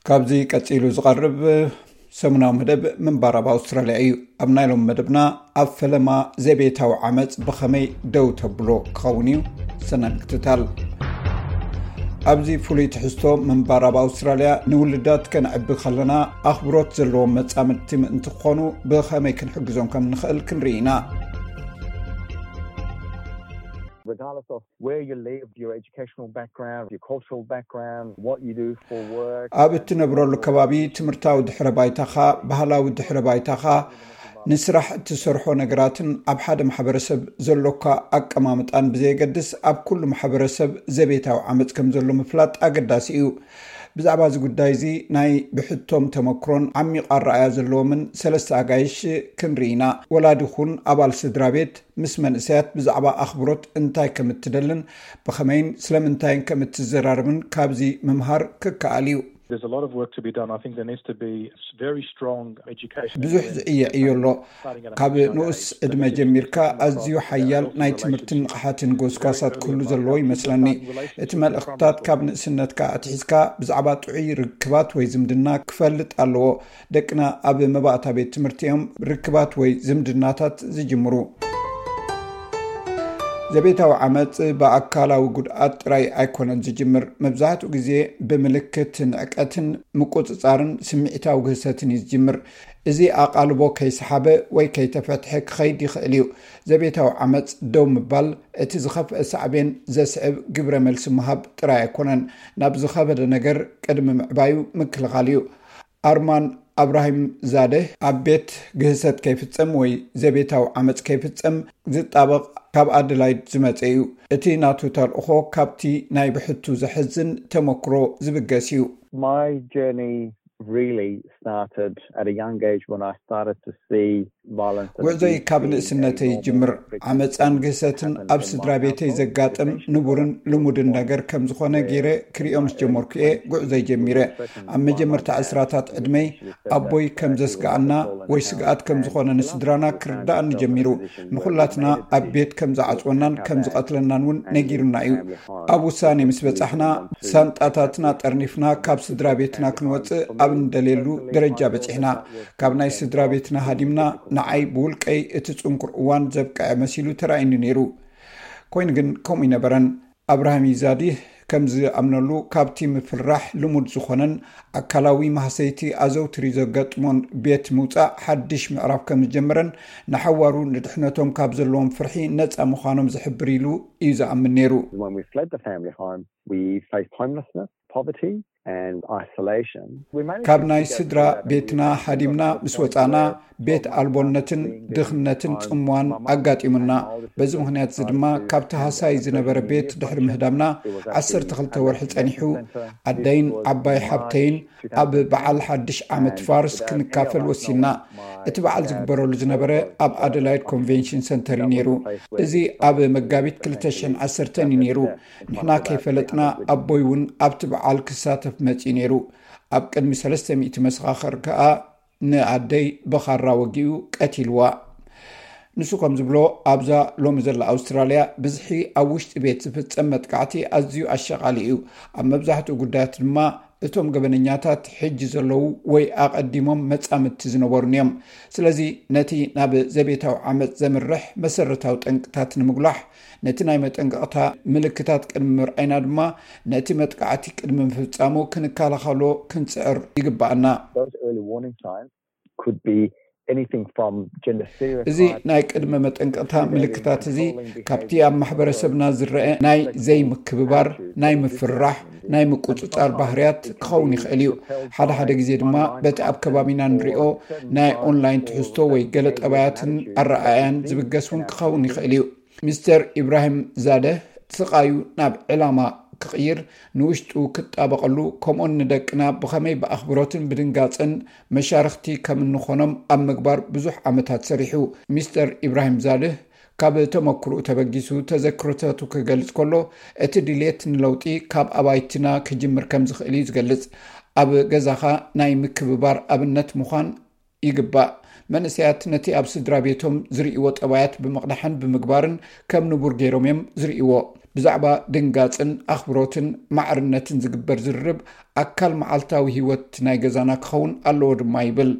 ካብዚ ቀጺሉ ዝቐርብ ሰሙናዊ መደብ ምንባር ኣብ ኣውስትራልያ እዩ። ኣብ ናይ ሎም መደብና ኣብ ፈለማ ዘቤታዊ ዓመጽ ብኸመይ ደው ተብሎ ክኸውን እዩ። ሰናይ ምክትታል። ኣብዚ ፍሉይ ትሕዝቶ ምንባር ኣብ ኣውስትራልያ ንውልዳት ከነዕቢ ከለና ኣኽብሮት ዘለዎም መጻምድቲ ምእንቲ ክኾኑ ብኸመይ ክንሕግዞም ከም ንኽእል ክንርኢ ኢና። Regardless of where you live, your educational background, your cultural background, what you do for work. ኣብ እትነብረሉ ከባቢ ትምህርታዊ ድሕረ ባይታኻ፣ ባህላዊ ድሕረ ባይታኻ፣ ንስራሕ እትሰርሖ ነገራትን ኣብ ሓደ ማሕበረሰብ ዘሎካ ኣቀማምጣን ብዘየገድስ ኣብ ኩሉ ማሕበረሰብ ዘቤታዊ ዓመፅ ከም ዘሎ ምፍላጥ ኣገዳሲ እዩ። ብዛዕባ እዚ ጉዳይ እዚ ናይ ብሕቶም ተመክሮን ዓሚቕ ኣረኣያ ዘለዎምን ሰለስተ ኣጋይሽ ክንርኢ ኢና። ወላዲ ኹን ኣባል ስድራ ቤት ምስ መንእሰያት ብዛዕባ ኣኽብሮት እንታይ ከም እትደልን ብኸመይን ስለምንታይን ከም እትዘራረብን ካብዚ ምምሃር ክከኣል እዩ። There's a lot of work to be done. I think there needs to be very strong education. ብዙሕ ዝዕየዕ እዩ ኣሎ። ካብ ንኡስ ዕድመ ጀሚርካ ኣዝዩ ሓያል ናይ ትምህርትን ንቕሓትን ጎስጓሳት ክህሉ ዘለዎ ይመስለኒ። እቲ መልእኽትታት ካብ ንእስነትካ ኣትሒዝካ ብዛዕባ ጥዑይ ርክባት ወይ ዝምድና ክፈልጥ ኣለዎ። ደቅና ኣብ መባእታ ቤት ትምህርቲ እዮም ርክባት ወይ ዝምድናታት ዝጅምሩ። ዘቤታዊ ዓመፅ ብኣካላዊ ጉድኣት ጥራይ ኣይኮነን ዝጅምር። መብዛሕትኡ ግዜ ብምልክት ንዕቀትን ምቁፅፃርን ስምዒታዊ ግህሰትን እዩ ዝጅምር። እዚ ኣቓልቦ ከይሰሓበ ወይ ከይተፈትሐ ክኸይድ ይኽእል እዩ። ዘቤታዊ ዓመፅ ደው ምባል እቲ ዝኸፍአ ሳዕቤን ዘስዕብ ግብረ መልሲ ምሃብ ጥራይ ኣይኮነን። ናብ ዝኸበደ ነገር ቅድሚ ምዕባዩ ምክልኻል እዩ። ኣርማን ኣብራሂም ዛደህ ኣብ ቤት ግህሰት ከይፍጸም ወይ ዘቤታዊ ዓመጽ ከይፍጸም ዝጣበቕ ካብ ኣደላይድ ዝመጸ እዩ። እቲ ናቱ ተልእኾ ካብቲ ናይ ብሕቱ ዘሕዝን ተመክሮ ዝብገስ እዩ። My journey really started at a young age when I started to see violence and ጉዕዞይ ካብ ንእስነተይ ይጅምር። ዓመፃን ግህሰትን ኣብ ስድራ ቤተይ ዘጋጥም ንቡርን ልሙድን ነገር ከም ዝኾነ ገይረ ክሪኦ ምስ ጀመርኩ እየ ጉዕዞይ ጀሚረ። ኣብ መጀመርታ ዕስራታት ዕድመይ ኣቦይ ከም ዘስግኣና ወይ ስግኣት ከም ዝኾነ ንስድራና ክርዳኣኒ ጀሚሩ። ንኹላትና ኣብ ቤት ከም ዝዓፅወናን ከም ዝቐትለናን እውን ነጊሩና እዩ። ኣብ ውሳኔ ምስ በጻሕና ሳንጣታትና ጠርኒፍና ካብ ስድራ ቤትና ክንወፅእ ኣብ እንደልየሉ ደረጃ በጺሕና። ካብ ናይ ስድራ ቤትና ሃዲምና ንዓይ ብውልቀይ እቲ ጽንኩር እዋን ዘብቅዐ መሲሉ ተራእዩኒ ነይሩ። ኮይኑ ግን ከምኡ ኣይነበረን። ኣብርሃም ይዛዲህ ከም ዝኣምነሉ ካብቲ ምፍርራሕ ልሙድ ዝኾነን ኣካላዊ ማህሰይቲ ኣዘውትሪ ዘጋጥሞን ቤት ምውጻእ ሓድሽ ምዕራፍ ከም ዝጀመረን ንሓዋሩ ንድሕነቶም ካብ ዘለዎም ፍርሒ ነጻ ምዃኖም ዝሕብር ኢሉ እዩ ዝኣምን ነይሩ። When we fled the family home, we faced homelessness, poverty and isolation. We managed ካብ ናይ ስድራ ቤትና ሃዲምና ምስ ወጻና ቤት ኣልቦነትን ድኽነትን ጽምዋን ኣጋጢሙና። በዚ ምኽንያት እዚ ድማ ካብቲ ሃሳይ ዝነበረ ቤት ድሕሪ ምህዳምና ዓሰርተ ክልተ ወርሒ ጸኒሑ ኣደይን ዓባይ ሓብተይን ኣብ በዓል ሓድሽ ዓመት ፋርስ ክንካፈል ወሲንና። እቲ በዓል ዝግበረሉ ዝነበረ ኣብ ኣደላይድ ኮንቬንሽን ሰንተር እዩ ነይሩ። እዚ ኣብ መጋቢት ክልተ ሽሕን ዓሰርተን እዩ ነይሩ። ንሕና ከይፈለጥና ኣቦይ እውን ኣብቲ በዓል ክሳተፍ መጺኡ ነይሩ። ኣብ ቅድሚ ሰለስተ ሚእቲ መሰኻኽር ከኣ ንኣደይ ብኻራ ወጊኡ ቀቲልዋ። ንሱ ከም ዝብሎ ኣብዛ ሎሚ ዘላ ኣውስትራልያ ብዝሒ ኣብ ውሽጢ ቤት ዝፍጸም መጥቃዕቲ ኣዝዩ ኣሸቓሊ እዩ። ኣብ መብዛሕትኡ ጉዳያት ድማ እቶም ገበነኛታት ሕጂ ዘለዉ ወይ ኣቐዲሞም መጻምድቲ ዝነበሩን እዮም። ስለዚ ነቲ ናብ ዘቤታዊ ዓመጽ ዘምርሕ መሰረታዊ ጠንቅታት ንምጉላሕ ነቲ ናይ መጠንቀቕታ ምልክታት ቅድሚ ምርኣይና ድማ ነቲ መጥቃዕቲ ቅድሚ ምፍጻሙ ክንከላኸሎ ክንጽዕር ይግባኣና። Those early warning signs could be anything from gender stereotypes. እዚ ናይ ቅድመ መጠንቀቕታ ምልክታት እዚ ካብቲ ኣብ ማሕበረሰብና ዝረአ ናይ ዘይምክብባር፣ ናይ ምፍርራሕ፣ ናይ ምቁጽጻር ባህርያት ክኸውን ይኽእል እዩ። ሓደ ሓደ ግዜ ድማ በቲ ኣብ ከባቢና ንሪኦ ናይ ኦንላይን ትሕዝቶ ወይ ገለ ጠባያትን ኣረኣእያን ዝብገስ እውን ክኸውን ይኽእል እዩ። ሚስተር ኢብራሂም ዛደህ ስቓዩ ናብ ዕላማ ክቕይር፣ ንውሽጡ ክጣበቐሉ፣ ከምኡን ንደቅና ብኸመይ ብኣኽብሮትን ብድንጋጸን መሻርኽቲ ከም እንኾኖም ኣብ ምግባር ብዙሕ ዓመታት ሰሪሑ። ሚስተር ኢብራሂም ዛድህ ካብ ተመክሮኡ ተበጊሱ ተዘክሮታቱ ክገልጽ ከሎ፣ እቲ ድሌት ንለውጢ ካብ ኣባይትና ክጅምር ከም ዝኽእል እዩ ዝገልጽ። ኣብ ገዛኻ ናይ ምክብባር ኣብነት ምዃን ይግባእ። መንእሰያት ነቲ ኣብ ስድራ ቤቶም ዝርእይዎ ጠባያት ብምቕዳሕን ብምግባርን ከም ንቡር ገይሮም እዮም ዝርእይዎ። ብዛዕባ ድንጋጽን ኣኽብሮትን ማዕርነትን ዝግበር ዝርርብ ኣካል መዓልታዊ ህይወት ናይ ገዛና ክኸውን ኣለዎ ድማ ይብል።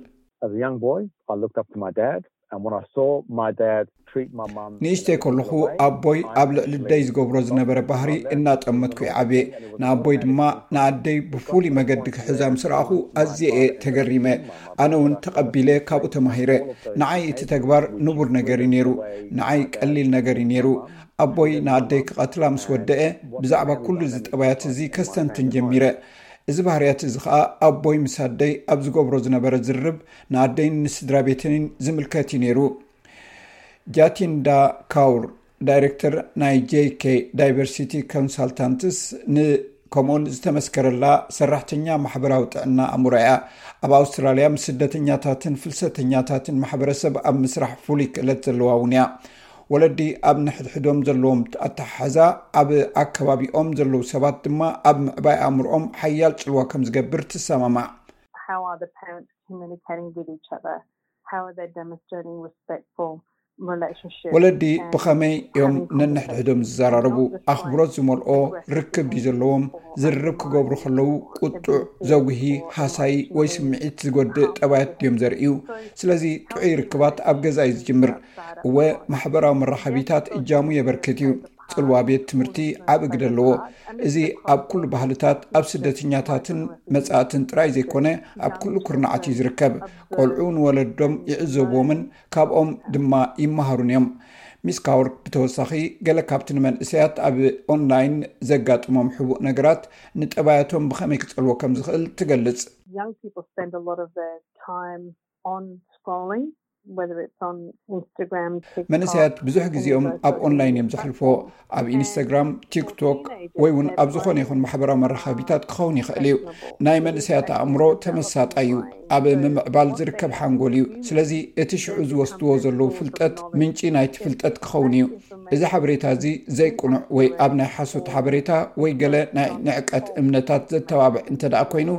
As a young boy, I looked up to my dad, and when I saw my dad treat my mum, ንእሽተይ ከለኹ ኣቦይ ኣብ ልዕሊ ኣደይ ዝገብሮ ዝነበረ ባህሪ እናጠመትኩ ይዓብየ። ንኣቦይ ድማ ንኣደይ ብፍሉይ መገዲ ክሕዛ ምስ ረኣኹ ኣዝየ እየ ተገሪመ። ኣነ እውን ተቐቢለ ካብኡ ተማሂረ። ንዓይ እቲ ተግባር ንቡር ነገር እዩ ነይሩ። ንዓይ ቀሊል ነገር እዩ ነይሩ። ኣቦይ ንኣደይ ክቐትላ ምስ ወደአ ብዛዕባ ኩሉ እዚ ጠባያት እዚ ከስተንትን ጀሚረ። እዚ ባህርያት እዚ ኸኣ ኣቦይ ምስ ኣደይ ኣብ ዝገብሮ ዝነበረ ዝርርብ ንኣደይን ንስድራ ቤተንን ዝምልከት እዩ ነይሩ። ጃቲንዳ ካውር፣ ዳይሬክተር ናይ ጄይኬ ዳይቨርሲቲ ኮንሳልታንትስ፣ ንከምኡን ዝተመስከረላ ሰራሕተኛ ማሕበራዊ ጥዕና ኣእምሮ እያ። ኣብ ኣውስትራልያ ምስ ስደተኛታትን ፍልሰተኛታትን ማሕበረሰብ ኣብ ምስራሕ ፍሉይ ክእለት ዘለዋ እውን እያ። ወለዲ ኣብ ንሕድሕዶም ዘለዎም ኣተሓሕዛ ኣብ ኣከባቢኦም ዘለዉ ሰባት ድማ ኣብ ምዕባይ ኣእምሮኦም ሓያል ጽልዋ ከም ዝገብር ትሰማማዕ። How are the parents communicating with each other? How are they demonstrating respectful relationships? ወለዲ ብኸመይ እዮም ነንሕድሕዶም ዝዘራረቡ? ኣኽብሮት ዝመልኦ ርክብ ድዩ ዘለዎም? ዝርርብ ክገብሩ ከለዉ ቁጡዕ፣ ዘጉሂ፣ ሃሳዪ ወይ ስምዒት ዝጎድእ ጠባያት ድዮም ዘርእዩ? ስለዚ ጥዑይ ርክባት ኣብ ገዛ እዩ ዝጅምር። እወ፣ ማሕበራዊ መራኸቢታት እጃሙ የበርክት እዩ። ጽልዋ ቤት ትምህርቲ ዓቢ ግደ ኣለዎ። እዚ ኣብ ኩሉ ባህልታት፣ ኣብ ስደተኛታትን መጻእትን ጥራይ ዘይኮነ ኣብ ኩሉ ኩርናዓት እዩ ዝርከብ። ቆልዑ ንወለዶም ይዕዘብዎምን ካብኦም ድማ ይመሃሩን እዮም። ሚስ ካውር ብተወሳኺ ገለ ካብቲ ንመንእሰያት ኣብ ኦንላይን ዘጋጥሞም ሕቡእ ነገራት ንጠባያቶም ብኸመይ ክጸልዎ ከም ዝኽእል ትገልጽ። Young people spend a lot of their time on scrolling, whether it's on Instagram, TikTok, መንእሰያት ብዙሕ ግዜኦም ኣብ ኦንላይን እዮም ዘሕልፎ። ኣብ ኢንስታግራም፣ ቲክቶክ ወይ እውን ኣብ ዝኾነ ይኹን ማሕበራዊ መራኸቢታት ክኸውን ይኽእል እዩ። ናይ መንእሰያት ኣእምሮ ተመሳጣይ እዩ። ኣብ ምምዕባል ዝርከብ ሓንጎል እዩ። ስለዚ እቲ ሽዑ ዝወስድዎ ዘለዉ ፍልጠት ምንጪ ናይቲ ፍልጠት ክኸውን እዩ። እዚ ሓበሬታ እዚ ዘይቅኑዕ ወይ ኣብ ናይ ሓሶት ሓበሬታ ወይ ገለ ናይ ንዕቀት እምነታት ዘተባብዕ እንተ ደኣ ኮይኑ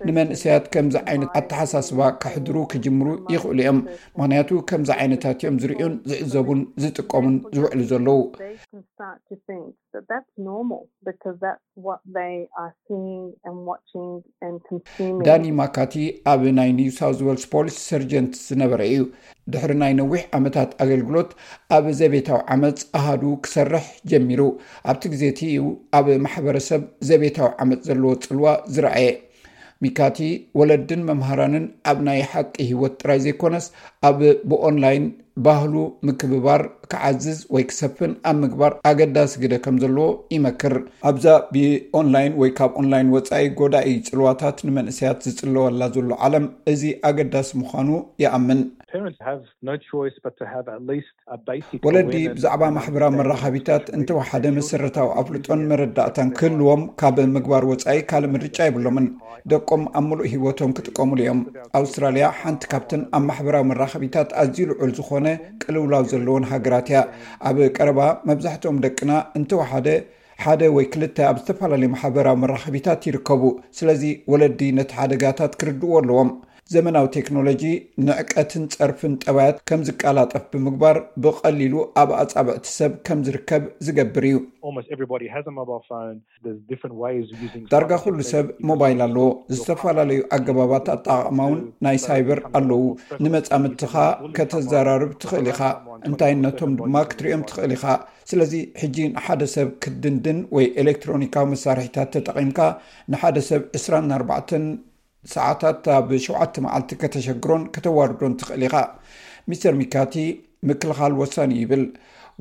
ንመንእሰያት ከምዚ ዓይነት ኣተሓሳስባ ከሕድሩ ክጅምሩ ይኽእሉ እዮም። ምኽንያቱ ከምዚ ዓይነታት እዮም ዝርእዩን ዝዕዘቡን ዝጥቀሙን ዝውዕሉ ዘለዉ። They can start to think that that's normal because that's what they are seeing and watching and consuming. ዳኒ ማካቲ ኣብ ናይ ኒው ሳውዝ ዌልስ ፖሊስ ሰርጀንት ዝነበረ እዩ። ድሕሪ ናይ ነዊሕ ዓመታት ኣገልግሎት ኣብ ዘቤታዊ ዓመፅ ኣሃዱ ክሰርሕ ጀሚሩ። ኣብቲ ግዜ እቲ እዩ ኣብ ማሕበረሰብ ዘቤታዊ ዓመፅ ዘለዎ ጽልዋ ዝረኣየ። ሚካቲ ወለድን መምሃራንን ኣብ ናይ ሓቂ ህይወት ጥራይ ዘይኮነስ ኣብ ብኦንላይን ባህሉ ምክብባር ክዓዝዝ ወይ ክሰፍን ኣብ ምግባር ኣገዳሲ ግደ ከም ዘለዎ ይመክር። ኣብዛ ብኦንላይን ወይ ካብ ኦንላይን ወጻኢ ጎዳኢ ጽልዋታት ንመንእሰያት ዝጽለወላ ዘሎ ዓለም እዚ ኣገዳሲ ምዃኑ ይኣምን። Parents have no choice but to have at least a basic ወለዲ ብዛዕባ ማሕበራዊ መራኸቢታት እንተወሓደ መሰረታዊ ኣፍልጦን መረዳእታን ክህልዎም ካብ ምግባር ወጻኢ ካልእ ምርጫ የብሎምን። ደቆም ኣብ ምሉእ ህይወቶም ክጥቀሙሉ እዮም። ኣውስትራልያ ሓንቲ ካብተን ኣብ ማሕበራዊ መራኸቢታት ኣዝዩ ልዑል ዝኾነ ቅልውላው ዘለዎን ሃገራት እያ። ኣብ ቀረባ መብዛሕትኦም ደቅና እንተወሓደ ሓደ ወይ ክልተ ኣብ ዝተፈላለዩ ማሕበራዊ መራኸቢታት ይርከቡ። ስለዚ ወለዲ ነቲ ሓደጋታት ክርድእዎ ኣለዎም። ዘመናዊ ቴክኖሎጂ ንዕቀትን ጸርፍን ጠባያት ከም ዝቀላጠፍ ብምግባር ብቐሊሉ ኣብ ኣጻብዕቲ ሰብ ከም ዝርከብ ዝገብር እዩ። Almost everybody has a mobile phone. There's different ways of using ዳርጋ ኩሉ ሰብ ሞባይል ኣለዎ። ዝተፈላለዩ ኣገባባት ኣጠቓቕማ እውን ናይ ሳይበር ኣለዉ። ንመጻምድትኻ ከተዘራርብ ትኽእል ኢኻ፣ እንታይነቶም ድማ ክትሪኦም ትኽእል ኢኻ። ስለዚ ሕጂ ንሓደ ሰብ ክትድንድን ወይ ኤሌክትሮኒካዊ መሳርሒታት ተጠቒምካ ንሓደ ሰብ ዕስራን ኣርባዕተን ሰዓታት ኣብ ሸውዓተ መዓልቲ ከተሸግሮን ከተዋርዶን ትኽእል ኢኻ። ሚስተር ሚካቲ ምክልኻል ወሳኒ ይብል።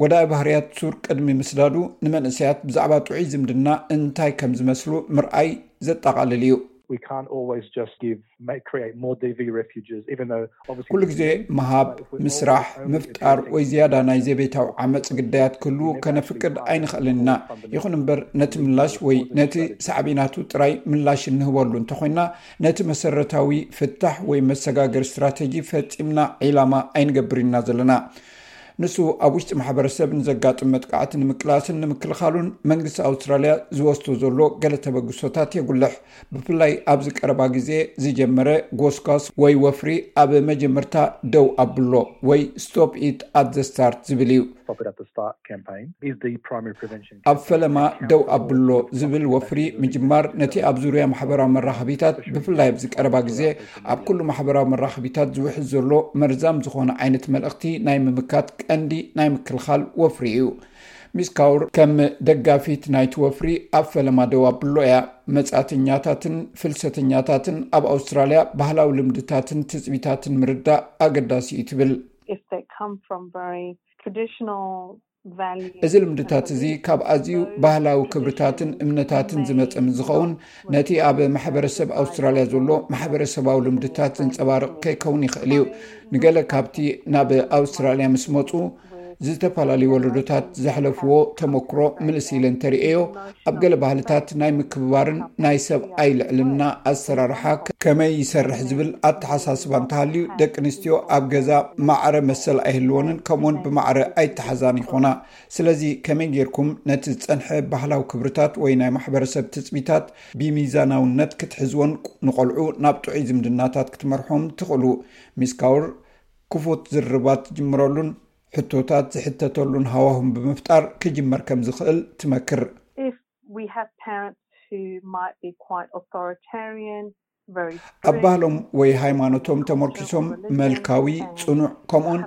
ጎዳኢ ባህርያት ሱር ቅድሚ ምስዳዱ ንመንእሰያት ብዛዕባ ጥዑይ ዝምድና እንታይ ከም ዝመስሉ ምርኣይ ዘጠቓልል እዩ። We can't always just give, make, create more D V refugees, even though obviously ኩሉ ግዜ ምሃብ፣ ምስራሕ፣ ምፍጣር ወይ ዝያዳ ናይ ዘቤታዊ ዓመፅ ግዳያት ክህልዉ ከነፍቅድ ኣይንኽእልን ኢና። ይኹን እምበር ነቲ ምላሽ ወይ ነቲ ሳዕቤናቱ ጥራይ ምላሽ እንህበሉ እንተኾይና ነቲ መሰረታዊ ፍታሕ ወይ መሰጋገሪ ስትራተጂ ፈጺምና ዒላማ ኣይንገብርን ኢና ዘለና። ንሱ ኣብ ውሽጢ ማሕበረሰብ ንዘጋጥም መጥቃዕቲ ንምቅላስን ንምክልኻሉን መንግስቲ ኣውስትራልያ ዝወስዶ ዘሎ ገለ ተበግሶታት የጉልሕ። ብፍላይ ኣብዚ ቀረባ ግዜ ዝጀመረ ጎስጓስ ወይ ወፍሪ ኣብ መጀመርታ ደው ኣብሎ ወይ stop it at the start ዝብል እዩ። Stop It at the Start campaign is the primary prevention. ኣብ ፈለማ ደው ኣብሎ ዝብል ወፍሪ ምጅማር፣ ነቲ ኣብ ዙርያ ማሕበራዊ መራኸቢታት፣ ብፍላይ ኣብዚ ቀረባ ግዜ ኣብ ኩሉ ማሕበራዊ መራኸቢታት ዝውሕዝ ዘሎ መርዛም ዝኾነ ዓይነት መልእኽቲ ናይ ምምካት ቀንዲ ናይ ምክልኻል ወፍሪ እዩ። ሚስ ካውር ከም ደጋፊት ናይቲ ወፍሪ፣ ኣብ ፈለማ ደው ኣብሎ እያ። መጻእተኛታትን ፍልሰተኛታትን ኣብ ኣውስትራልያ ባህላዊ ልምድታትን ትጽቢታትን ምርዳእ ኣገዳሲ እዩ ትብል። If they come from very traditional values, እዚ ልምድታት እዚ ካብ ኣዝዩ ባህላዊ ክብርታትን እምነታትን ዝመጸ ምስ ዝኸውን፣ ነቲ ኣብ ማሕበረሰብ ኣውስትራልያ ዘሎ ማሕበረሰባዊ ልምድታት ዘንጸባርቕ ከይከውን ይኽእል እዩ። ንገለ ካብቲ ናብ ኣውስትራልያ ምስ መጹ ዝተፈላለዩ ወለዶታት ዘሕለፍዎ ተመክሮ ምልስ ኢለ እንተርእዮ፣ ኣብ ገለ ባህልታት ናይ ምክብባርን ናይ ሰብኣይ ልዕልና ኣሰራርሓ ከመይ ይሰርሕ ዝብል ኣተሓሳስባ እንተሃልዩ፣ ደቂ ኣንስትዮ ኣብ ገዛ ማዕረ መሰል ኣይህልወንን፣ ከምኡውን ብማዕረ ኣይተሓዛን ይኾና። ስለዚ ከመይ ጌርኩም ነቲ ዝጸንሐ ባህላዊ ክብርታት ወይ ናይ ማሕበረሰብ ትጽቢታት ብሚዛናውነት ክትሕዝዎን ንቖልዑ ናብ ጥዑይ ዝምድናታት ክትመርሖም ትኽእሉ? ሚስ ካውር ክፉት ዝርርባት ትጅምረሉን ሕቶታት ዝሕተተሉን ሃዋሁን ብምፍጣር ክጅመር ከም ዝኽእል ትመክር። If we have parents who might be quite authoritarian, very ኣብ ባህሎም ወይ ሃይማኖቶም ተመርኪሶም መልካዊ፣ ጽኑዕ፣ ከምኡውን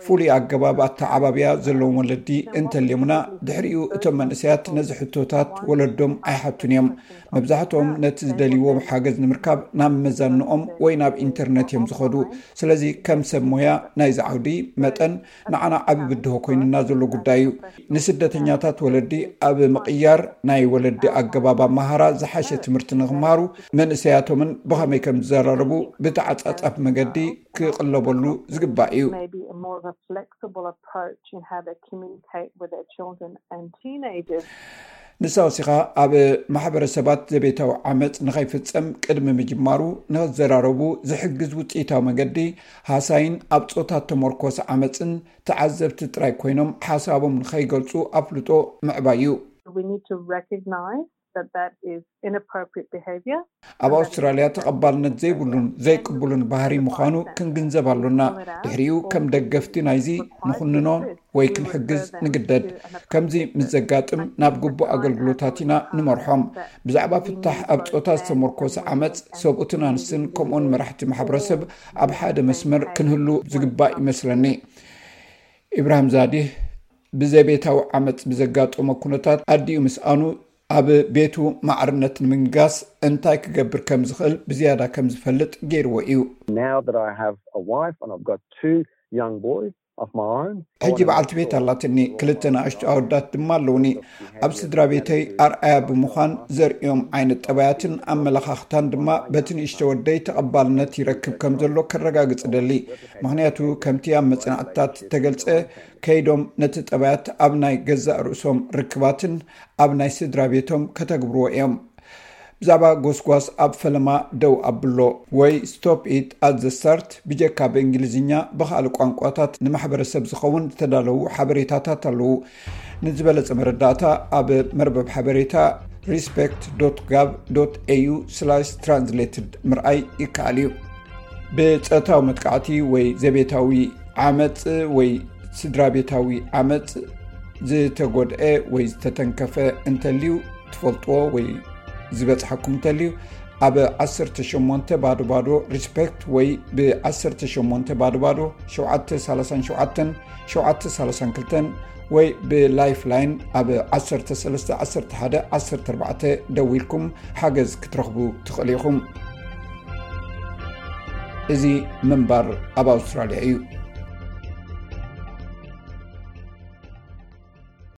ፍሉይ ኣገባብ ኣተዓባብያ ዘለዎም ወለዲ እንተልዮምና፣ ድሕሪኡ እቶም መንእሰያት ነዚ ሕቶታት ወለዶም ኣይሓቱን እዮም። መብዛሕትኦም ነቲ ዝደልይዎ ሓገዝ ንምርካብ ናብ መዛንኦም ወይ ናብ ኢንተርነት እዮም ዝኸዱ። ስለዚ ከም ሰብ ሞያ ናይዚ ዓውዲ መጠን ንዓና ዓቢ ብድሆ ኮይኑና ዘሎ ጉዳይ እዩ። ንስደተኛታት ወለዲ ኣብ ምቕያር ናይ ወለዲ ኣገባብ ኣመሃራ ዝሓሸ ትምህርቲ ንኽምሃሩ መንእሰያቶምን ብኸመይ ከም ዝዘራረቡ ብተዓጻጻፍ መገዲ ክቕለበሉ ዝግባእ እዩ። Maybe a more of a flexible approach in how they communicate with their children and teenagers. ንሳ ወሲኻ ኣብ ማሕበረሰባት ዘቤታዊ ዓመፅ ንኸይፍፀም ቅድሚ ምጅማሩ ንኽዘራረቡ ዝሕግዝ ውፅኢታዊ መገዲ ሃሳይን ኣብ ፆታ ተመርኮሰ ዓመፅን ተዓዘብቲ ጥራይ ኮይኖም ሓሳቦም ንኸይገልፁ ኣፍልጦ ምዕባይ እዩ። We need to recognize that that is inappropriate behaviour. ኣብ ኣውስትራልያ ተቐባልነት ዘይብሉን ዘይቅቡልን ባህሪ ምዃኑ ክንግንዘብ ኣሎና። ድሕሪኡ ከም ደገፍቲ ናይዚ ንኹንኖ ወይ ክንሕግዝ ንግደድ። ከምዚ ምስ ዘጋጥም ናብ ግቡእ ኣገልግሎታት ኢና ንመርሖም። ብዛዕባ ፍታሕ ኣብ ፆታ ዝተመርኮሰ ዓመፅ ሰብኡትን ኣንስትን ከምኡውን መራሕቲ ማሕበረሰብ ኣብ ሓደ መስመር ክንህሉ ዝግባእ ይመስለኒ። ኢብራሂም ዛዲህ ብዘቤታዊ ዓመፅ ብዘጋጠሞ ኩነታት ኣዲኡ ምስኣኑ ኣብ ቤቱ ማዕርነት ንምንጋስ እንታይ ክገብር ከም ዝኽእል ብዝያዳ ከም ዝፈልጥ ገይርዎ እዩ። Now that I have a wife and I've got two young boys of my own, I ሕጂ wanna በዓልቲ make ቤት sure ኣላትኒ፣ ክልተ ንኣሽቱ ኣወዳት ድማ ኣለውኒ። ኣብ ስድራ ቤተይ ኣርኣያ ብምዃን ዘርእዮም ዓይነት ጠባያትን ኣመለኻኽታን ድማ በቲ ንእሽቶ ወደይ ተቐባልነት ይረክብ ከም ዘሎ ከረጋግጽ እደሊ። ምኽንያቱ ከምቲ ኣብ መጽናዕትታት እተገልጸ፣ ከይዶም ነቲ ጠባያት ኣብ ናይ ገዛእ ርእሶም ርክባትን ኣብ ናይ ስድራ ቤቶም ከተግብርዎ እዮም። ብዛዕባ ጎስጓስ ኣብ ፈለማ ደው ኣብሎ ወይ Stop It at the Start ብጀካ ብእንግሊዝኛ ብኻልእ ቋንቋታት ንማሕበረሰብ ዝኸውን ዝተዳለዉ ሓበሬታታት ኣለዉ። ንዝበለጸ መረዳእታ ኣብ መርበብ ሓበሬታ respect dot gov dot au slash translated ምርኣይ ይከኣል እዩ። ብጾታዊ መጥቃዕቲ ወይ ዘቤታዊ ዓመጽ ወይ ስድራ ቤታዊ ዓመጽ ዝተጎድአ ወይ ዝተተንከፈ እንተልዩ፣ ትፈልጥዎ ወይ ዝበጽሓኩም እንተልዩ፣ ኣብ ዓሰርተ ሸሞንተ ባዶ ባዶ respect ወይ ብ ዓሰርተ ሸሞንተ ባዶ ባዶ ሸውዓተ ሰላሳን ሸውዓተን ሸውዓተ ሰላሳን ክልተን ወይ ብ Lifeline ኣብ ዓሰርተ ሰለስተ ዓሰርተ ሓደ ዓሰርተ ኣርባዕተ ደዊልኩም ሓገዝ ክትረኽቡ ትኽእሉ ኢኹም። እዚ ምንባር ኣብ ኣውስትራልያ እዩ።